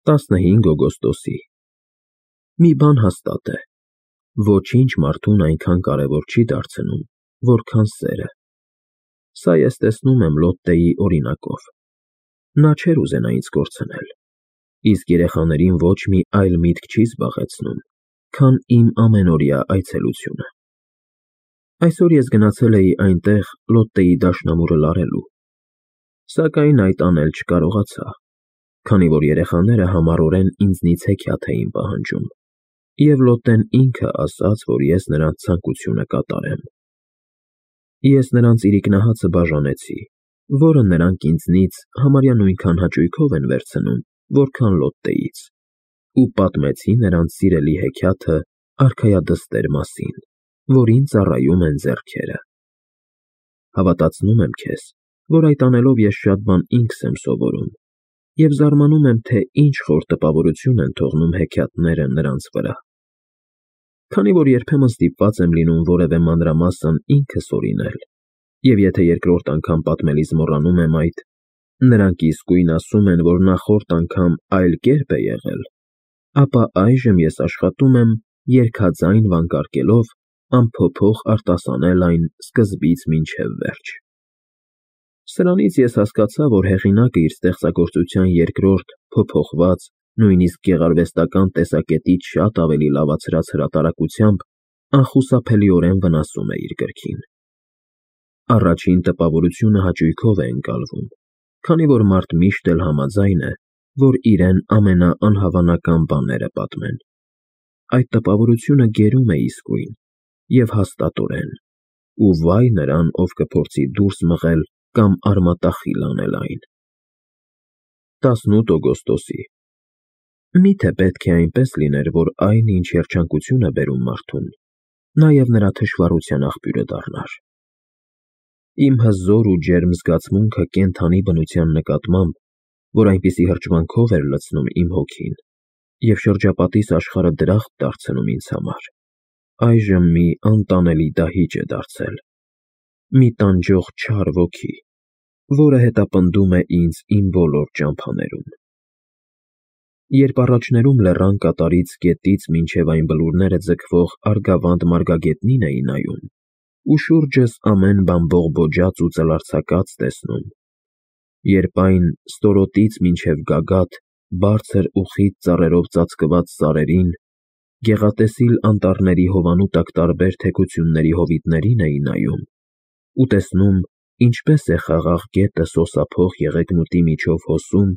15 օգոստոսի։ Մի բան հաստատ է. ոչինչ մարդուն այնքան կարևոր չի դարձնում, որքան սերը։ Սա ես տեսնում եմ Լոտտեի օրինակով։ Նա չէր ուզենա ինձ կորցնել, իսկ երեխաներին ոչ մի այլ միտք չի զբաղեցնում, քան իմ ամենօրյա այցելությունը։ Այսօր ես գնացել էի այնտեղ Լոտտեի դաշնամուրը լարելու, սակայն այդ անել չկարողացա, քանի որ երեխաները համառորեն ինձնից հեքիաթ էին պահանջում, և Լոտտեն ինքը ասաց, որ ես նրանց ցանկությունը կատարեմ։ Ես նրանց իրիկնահացը բաժանեցի, որը նրանք ինձնից համարյա նույնքան հաճույքով են վերցնում, որքան Լոտտեից, ու պատմեցի նրանց սիրելի հեքիաթը արքայադստեր մասին, որին ծառայում են ձեռքերը։ Հավատացնում եմ քեզ, որ այդ անելով ես շատ բան ինքս եմ սովորում, և զարմանում եմ, թե ինչ խոր տպավորություն են թողնում հեքիաթները նրանց վրա։ Քանի որ երբեմն ստիպված եմ լինում որևէ մանրամասն ինքս օրինել, և եթե երկրորդ անգամ պատմելիս մոռանում եմ այդ, նրանք իսկույն ասում են, որ նախորդ անգամ այլ կերպ է եղել, ապա այժմ ես աշխատում եմ երգաձայն վանկարկելով անփոփոխ արտասանել այն սկզբից մինչև վերջ։ Սրանից ես հասկացա, որ հեղինակը իր ստեղծագործության երկրորդ, փոփոխված, նույնիսկ գեղարվեստական տեսակետից շատ ավելի լավացրած հրատարակությամբ անխուսափելիորեն վնասում է իր գրքին։ Առաջին տպավորությունը հաճույքով է ընկալվում, քանի որ մարդ միշտ էլ համաձայն է, որ իրեն ամենաանհավանական բաները պատմեն։ Այդ տպավորությունը գերում է իսկույն և հաստատորեն, ու վայ նրան, ով կփորձի դուրս մղել կամ արմատախիլ անել այն։ 18 օգոստոսի։ Միթե պետք է այնպես լիներ, որ այն, ինչ երջանկություն է բերում մարդուն, նաև նրա թշվառության աղբյուրը դառնար։ Իմ հզոր ու ջերմ զգացմունքը կենդանի բնության նկատմամբ, որ այնպիսի հրճվանքով էր լցնում իմ հոգին, և շրջապատիս աշխարհը դրախտ դարձնում ինձ համար, այժմ մի անտանելի դահիճ է դարձել, մի տանջող չար ոգի, որը հետապնդում է ինձ իմ բոլոր ճամփաներում։ Երբ առաջներում լեռան կատարից գետից մինչև այն բլուրները ձգվող Արգավանդ մարգագետնին էի նայում, ու շուրջս ամեն բան բողբոջած ու ծլարձակած տեսնում, երբ այն ստորոտից մինչև գագաթ բարձր ու խիտ ծառերով ծածկված սարերին, գեղատեսիլ անտառների հովանու տակ տարբեր թեքությունների հովիտներին էի նայում, ու տեսնում, ինչպես է խաղաղ գետը սոսափող եղեգնուտի միջով հոսում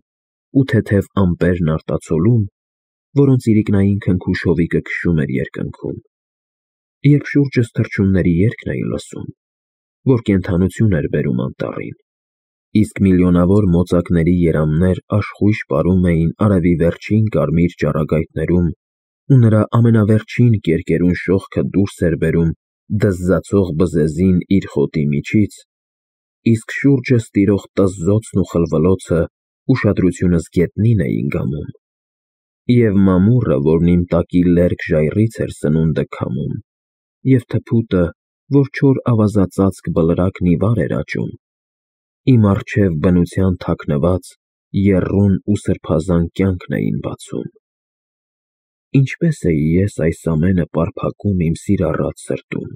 ու թեթև ամպերն արտացոլում, որոնց իրիկնային քնքուշ հովիկը քշում էր երկնքում, երբ շուրջս թռչունների երգն էի լսում, որ կենդանություն էր բերում անտառին, իսկ միլիոնավոր մոծակների երամներ աշխույժ պարում էին արևի վերջին կարմիր ճառագայթներում, ու նրա ամենավերջին կերկերուն շողքը դուրս էր բերում դզզացող բզեզին իր խոտի միջից, իսկ շուրջս տիրող տզզոցն ու խլվլոցը ուշադրությունս գետնին էին գամում, և մամուռը, որն իմ տակի լերկ ժայռից էր սնունդը քամում, և թփուտը, որ չոր ավազածածկ բլրակն ի վար էր աճում, իմ առջև բնության թաքնված, եռուն ու սրբազան կյանքն էին բացում։ Ինչպե՞ս էի ես այս ամենը պարփակում իմ սիրառատ սրտում,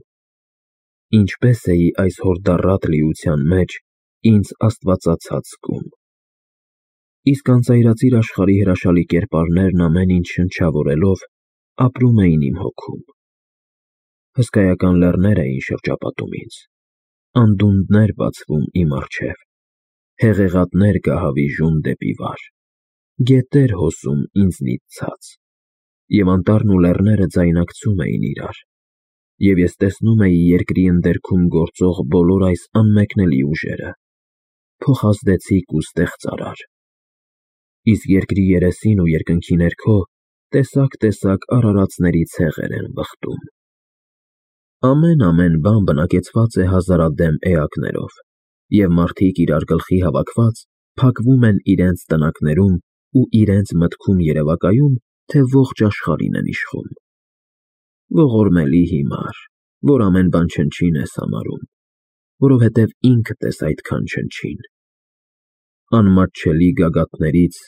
ինչպե՞ս էի այս հորդառատ լիության մեջ ինձ աստվածացած զգում։ Իսկ անծայրածիր աշխարհի հրաշալի կերպարներն ամեն ինչ շնչավորելով ապրում էին իմ հոգում։ Հսկայական լեռներ էին շրջապատում ինձ, անդունդներ բացվում իմ առջև, հեղեղատներ գահավիժում դեպի վար, գետեր հոսում ինձնից ցած, և անտառն ու լեռները ձայնակցում էին իրար, և ես տեսնում էի երկրի ընդերքում գործող բոլոր այս անմեկնելի ուժերը, փոխազդեցիկ ու ստեղծարար, իսկ երկրի երեսին ու երկնքի ներքո տեսակ արարածների ցեղեր են վխտում։ Ամեն բան բնակեցված է հազարադեմ էակներով, և մարդիկ իրար գլխի հավաքված փակվում են իրենց տնակներում ու իրենց մտքում երևակայում, թե ողջ աշխարհին են իշխում։ Ողորմելի հիմար, որ ամեն բան չնչին ես համարում, որովհետև ինքդ ես այդքան չնչին։ Անմատչելի գագաթներից,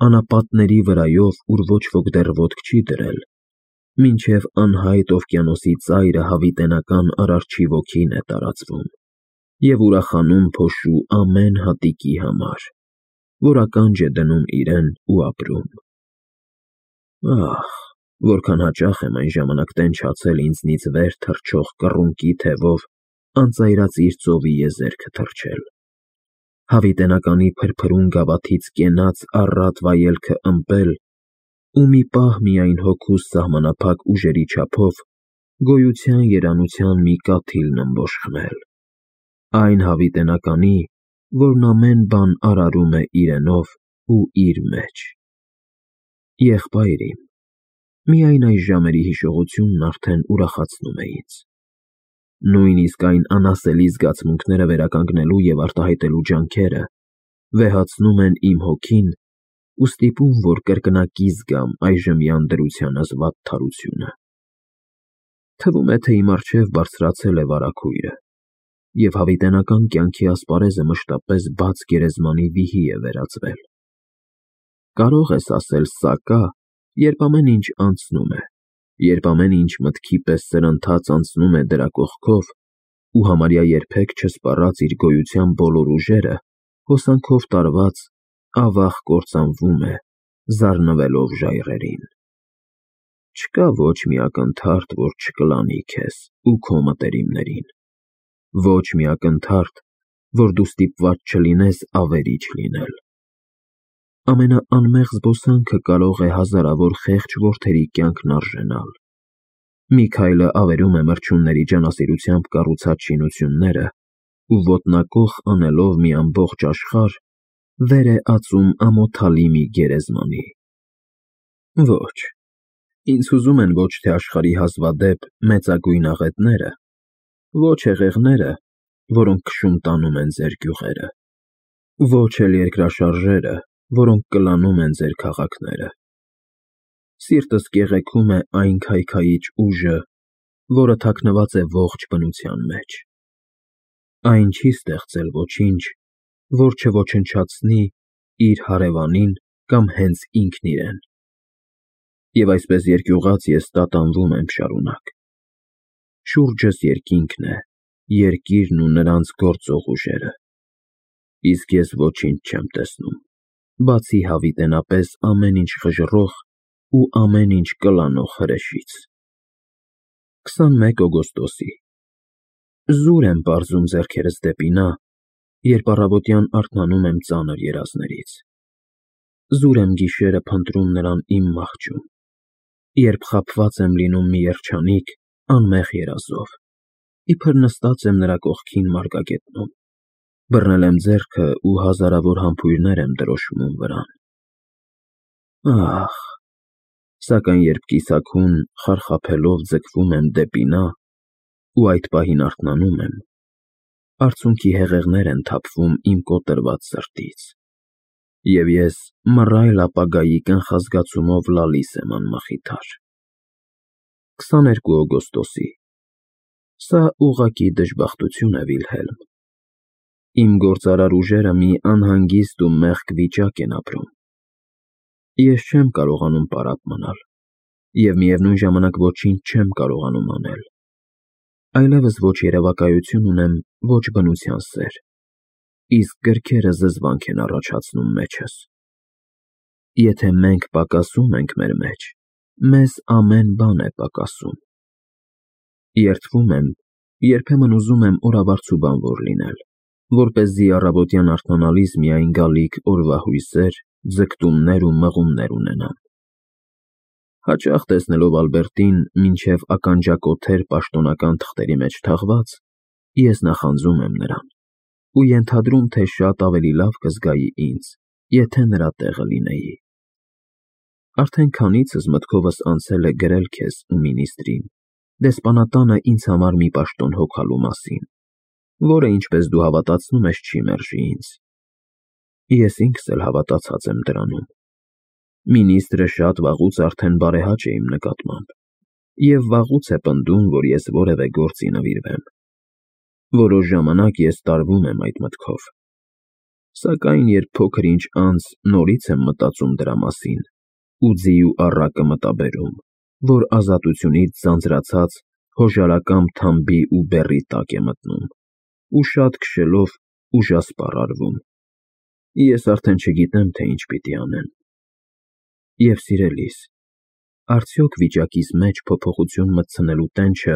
անապատների վրայով, ուր ոչ ոք դեռ ոտք չի դրել, մինչև անհայտ օվկիանոսի ծայրը հավիտենական արարչի ոգին է տարածվում և ուրախանում փոշու ամեն հատիկի համար, որ ականջ է դնում իրեն ու ապրում։ Ահ, որքան հաճախ եմ այն ժամանակ տենչացել ինձնից վեր թռչող կռունկի թևով անծայրածիր ծովի եզերքը թռչել, հավիտենականի փրփրուն գավաթից կենաց առատ վայելքը ըմպել ու մի պահ միայն հոգուս սահմանափակ ուժերի չափով գոյության երանության մի կաթիլն ըմբոշխնել, այն հավիտենականի, որն ամեն բան արարում է իրենով ու իր մեջ։ Եղբայր իմ, միայն այս ժամերի հիշողությունն արդեն ուրախացնում է ինձ։ Նույնիսկ այն անասելի զգացմունքները վերականգնելու և արտահայտելու ջանքերը վեհացնում են իմ հոգին ու ստիպում, որ կրկնակի զգամ այժմյան դրությանս վատթարությունը։ Թվում է, թե իմ առջև բարձրացել է վարագույրը, և հավիտենական կյանքի ասպարեզը մշտապես բաց գերեզմանի վիհի է վերածվել։ Կարող ես ասել սա կա, երբ ամեն ինչ անցնում է, երբ ամեն ինչ մտքի պես սրընթաց անցնում է դրա կողքով ու համարյա երբեք չսպառած իր գոյության բոլոր ուժերը, հոսանքով տարված, ավաղ կործանվում է, զառնվելով ժայռերին։ Չկա ոչ մի ակնթարթ, որ չկլանի քեզ ու քո մտերիմներին, ոչ մի ակնթարթ, որ դու ստիպված չլինես ավերիչ լինել։ Ամենաանմեղ զբոսանքը կարող է հազարավոր խեղճ որդերի կյանքն արժենալ։ Մի քայլը ավերում է մրջյունների ջանասիրությամբ կառուցած շինությունները ու ոտնակոխ անելով մի ամբողջ աշխարհ, վեր է ածում ամոթալի մի գերեզմանի։ Ոչ, ինձ հուզում են ոչ թե աշխարհի հազվադեպ մեծագույն աղետները, ոչ հեղեղները, որոնք քշում տանում են ձեր գյուղերը, ոչ էլ երկրաշարժերը, որոնք կլանում են ձեր քաղաքները։ Սիրտս կեղեքում է այն քայքայիչ ուժը, որը թաքնված է ողջ բնության մեջ։ Այն չի ստեղծել ոչինչ, որ չոչնչացնի իր հարևանին կամ հենց ինքն իրեն։ Եվ այսպես երկյուղած ես տատանվում եմ շարունակ։ Շուրջս երկինքն է, երկիրն ու նրանց գործող ուժերը։ Իսկ ես ոչինչ չեմ տեսնում, բացի հավիտենապես ամեն ինչ խժռող ու ամեն ինչ կլանող հրեշից։ 21 օգոստոսի Զուր եմ պարզում ձեռքերս դեպի նա, երբ առավոտյան արթնանում եմ ծանր երազներից։ Զուր եմ գիշերը փնտրում նրան իմ մահճում, երբ խաբված եմ լինում մի երջանիկ, անմեղ երազով, իբր նստած եմ նրա կողքին մարգագետնում, բռնել եմ ձեռքը ու հազարավոր համբույրներ եմ դրոշմում վրան։ Ահ, սակայն երբ կիսաքուն խարխափելով ձգվում եմ դեպի նա ու այդ պահին արթնանում եմ, արցունքի հեղեղներ են թափվում իմ կոտրված սրտից, և ես մռայլ ապագայի կանխազգացումով լալիս եմ անմխիթար։ 22 օգոստոսի Սա ուղղակի դժբախտություն է, Վիլհելմ։ Իմ գործարար ուժերը մի անհանգիստ ու մեղք վիճակ են ապրում։ Ես չեմ կարողանում պարապ մնալ, և միևնույն ժամանակ ոչինչ չեմ կարողանում անել։ Այլևս ոչ երևակայություն ունեմ, ոչ բնության սեր, իսկ գրքերը զզվանք են առաջացնում մեջս։ Եթե մենք պակասում ենք մեր մեջ, մեզ ամեն բան է պակասում։ Երդվում եմ, երբեմն ուզում եմ օրավարձու բանվոր լինել, որպեսզի առավոտյան արթնանալիս միայն գալիք օրվա հույսեր, ձգտումներ ու մղումներ ունենամ։ Հաճախ տեսնելով Ալբերտին մինչև ականջակոթեր պաշտոնական թղթերի մեջ թաղված, ես նախանձում եմ նրան ու ենթադրում, թե շատ ավելի լավ կզգայի ինձ, եթե նրա տեղը լինեի։ Արդեն քանիցս մտքովս անցել է գրել քեզ ու մինիստրին, դեսպանատանը ինձ համար մի պաշտոն հոգալու մասին, որը, ինչպես դու հավատացնում ես, չի մերժի ինձ։ Ես ինքս էլ հավատացած եմ դրանում։ Մինիստրը շատ վաղուց արդեն բարեհաճ է իմ նկատմամբ, և վաղուց է պնդում, որ ես որևէ գործի նվիրվեմ։ Որոշ ժամանակ ես տարվում եմ այդ մտքով, Սակայն երբ փոքր ինչ անց նորից եմ մտածում դրա մասին, ու ձիու առակը մտաբերում, որ ազատությունից ձանձրացած հոժարակամ թամբի ու բեռի տակ է մտնում, ու շատ քշելով ուժասպառ արվում, ես արդեն չգիտեմ, թե ինչ պիտի անեմ։ Եվ սիրելիս, արդյոք վիճակիս մեջ փոփոխություն մտցնելու տենչը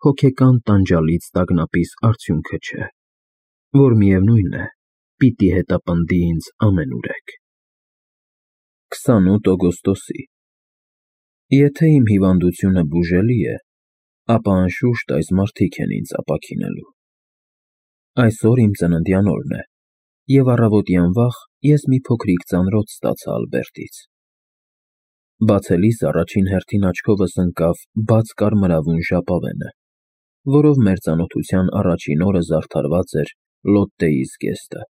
հոգեկան տանջալից տագնապիս արդյունքը չէ, որ միևնույն է, պիտի հետապնդի ինձ ամենուրեք։ 28 օգոստոսի Եթե իմ հիվանդությունը բուժելի է, ապա անշուշտ այս մարդիկ են ինձ ապաքինելու։ Այսօր իմ ծննդյան օրն է, և առավոտյան վաղ ես մի փոքրիկ ծանրոց ստացա Ալբերտից։ Բացելիս առաջին հերթին աչքովս ընկավ բաց կարմրավուն ժապավենը, որով մեր ծանոթության առաջին օրը զարդարված էր Լոտտեի զգեստը,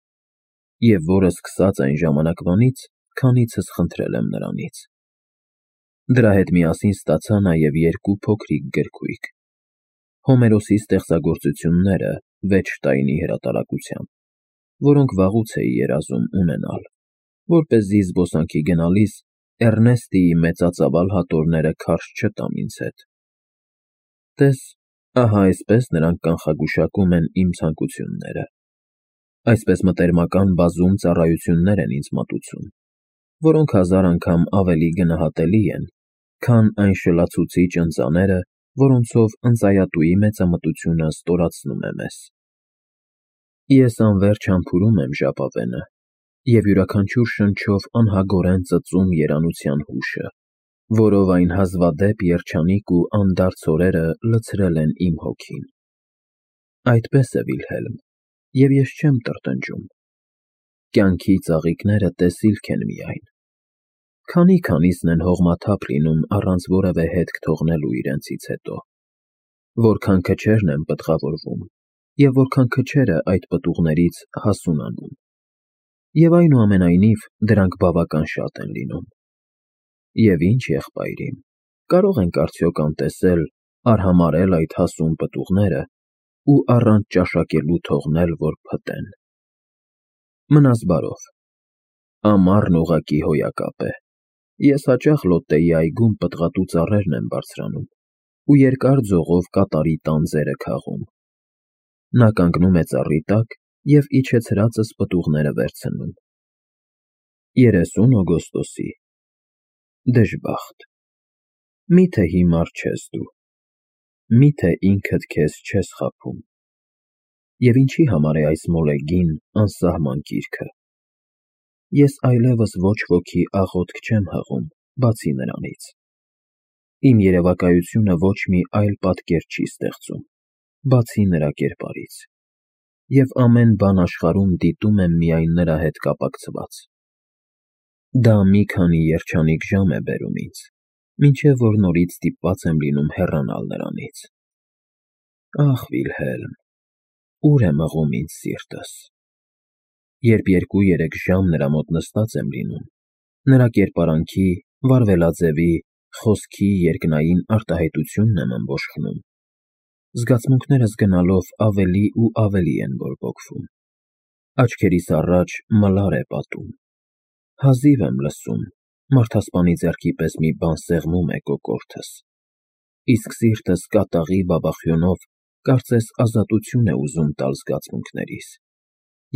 և որը սկսած այն ժամանակվանից, քանիցս խնդրել եմ նրանից։ Դրա հետ միասին ստացա նաև երկու փոքրիկ գրքույկ. Հոմերոսի ստեղծագործությունները Վեչշտայնի հրատարակությամբ, որոնք վաղուց էի երազում ունենալ, որպեսզի զբոսանքի գնալիս Էռնեստիի մեծածավալ հատորները քարշ չտամ ինձ հետ։ Տես, ահա այսպես նրանք կանխագուշակում են իմ ցանկությունները, այսպես մտերմական բազում ծառայություններ են ինձ մատուցում, որոնք 1000 անգամ ավելի գնահատելի են, քան այն շլացուցիչ ընծաները, որոնցով ընծայատուի մեծամտությունը ստորացնում է մեզ։ Ես անվերջ համբուրում եմ ժապավենը և յուրաքանչյուր շնչով անհագորեն ծծում երանության հուշը, որով այն հազվադեպ երջանիկ ու անդարձ օրերը լցրել են իմ հոգին։ Այդպես է, Վիլհելմ, և ես չեմ տրտնջում։ Կյանքի ծաղիկները տեսիլք են միայն։ Քանի֊քանիսն են հողմաթափ լինում առանց որևէ հետք թողնելու իրենցից հետո, որքան քչերն են պտղավորվում, և որքան քչերը այդ պտուղներից հասունանում, և այնուամենայնիվ դրանք բավական շատ են լինում։ Եվ ինչ, եղբայր իմ, կարո՞ղ ենք արդյոք անտեսել, արհամարհել այդ հասուն պտուղները ու առանց ճաշակելու թողնել, որ փտեն։ Մնաս բարով։ Ամառն ուղղակի հոյակապ է։ Ես հաճախ Լոտտեի այգում պտղատու ծառերն եմ բարձրանում ու երկար ձողով կատարի տանձերը քաղում։ Նա կանգնում է ծառի տակ և իջեցրածս պտուղները վերցնում։ 30 օգոստոսի Դժբախտ։ Մի՞թե հիմար չես դու։ Մի՞թե ինքդ քեզ չես խաբում։ Եվ ինչի համար է այս մոլեգին, անսահման կիրքը։ Ես այլևս ոչ ոքի աղոթք չեմ հղում, բացի նրանից։ Իմ երևակայությունը ոչ մի այլ պատկեր չի ստեղծում, բացի նրա կերպարից, և ամեն բան աշխարհում դիտում եմ միայն նրա հետ կապակցված։ Դա մի քանի երջանիկ ժամ է բերում ինձ, մինչև որ նորից ստիպված եմ լինում հեռանալ նրանից։ Ախ, Վիլհելմ, ուր է մղում ինձ սիրտս։ Երբ 2-3 ժամ նրա մոտ նստած եմ լինում, նրա կերպարանքի, վարվելաձևի, խոսքի երկնային արտահայտությունն եմ ըմբոշխնում, զգացմունքներս գնալով ավելի ու ավելի են բորբոքվում։ Աչքերիս առաջ մլար է պատում։ Հազիվ եմ լսում, մարդասպանի ձեռքի պես մի բան սեղմում է կոկորդս, իսկ սիրտս կատաղի բաբախյունով կարծես ազատություն է ուզում տալ զգացմունքներիս,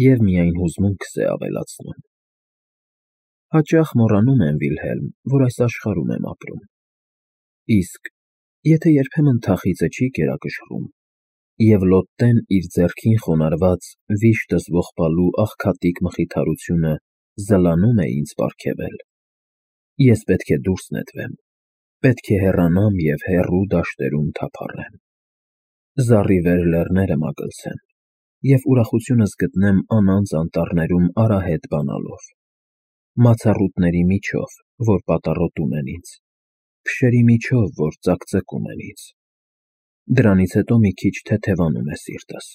և միայն հուզմունքս է ավելացնում։ Հաճախ մոռանում եմ, Վիլհելմ, որ այս աշխարհում եմ ապրում։ Իսկ եթե երբեմն թախիծը չի կերակշռում, և Լոտտեն իր ձեռքին խոնարհված վիշտս ողբալու աղքատիկ մխիթարությունը զլանում է ինձ պարգևել, ես պետք է դուրս նետվեմ, պետք է հեռանամ և հեռու դաշտերում թափառեմ, զառիվեր լեռները մագլցեմ և ուրախությունս գտնեմ անանծ անտառներում արահետ բանալով, մացառուտների միջով, որ պատառոտում են ինձ, փշերի միջով, որ ծակծկում են ինձ։ Դրանից հետո մի քիչ թեթևանում է սիրտս,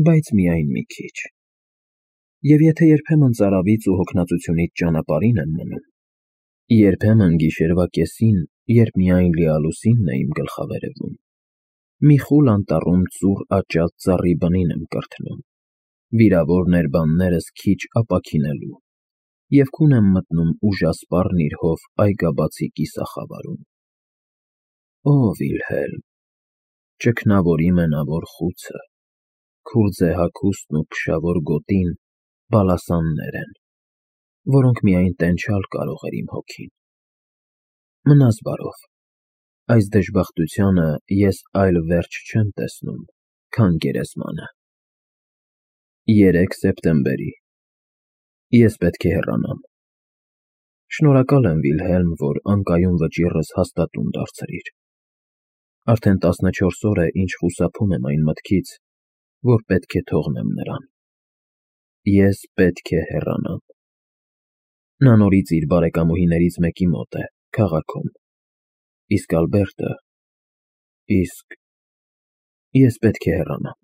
բայց միայն մի քիչ։ Եվ եթե երբեմն ծարավից ու հոգնածությունից ճանապարհին եմ մնում, երբեմն գիշերվա կեսին, երբ միայն լիալուսինն է իմ գլխավերևում, մի խուլ անտառում ծուռ աճած ծառի բնին եմ կրթնում, Վիրավոր ներբաններս քիչ ապաքինելու, և քուն եմ մտնում ուժասպառ նիրհով այգաբացի կիսախավարում։ Ո Վիլհելմ, ճգնավորի մենավոր խուցը, քուրձե հագուստն ու փշավոր գոտին բալասաններ են, որոնք միայն տենչալ կարող էր իմ հոգին։ Մնաս բարով, այս դժբախտությանը ես այլ վերջ չեմ տեսնում, քան գերեզմանը։ 3 սեպտեմբերի Ես պետք է հեռանամ։ Շնորհակալ եմ, Վիլհելմ, որ անկայուն վճիռս հաստատուն դարձրիր։ Արդեն 14 օր է, ինչ խուսափում եմ այն մտքից, որ պետք է թողնեմ նրան։ Ես պետք է հեռանամ։ Նա նորից իր բարեկամուհիներից մեկի մոտ է, քաղաքում, իսկ Ալբերտը… Իսկ ես պետք է հեռանամ։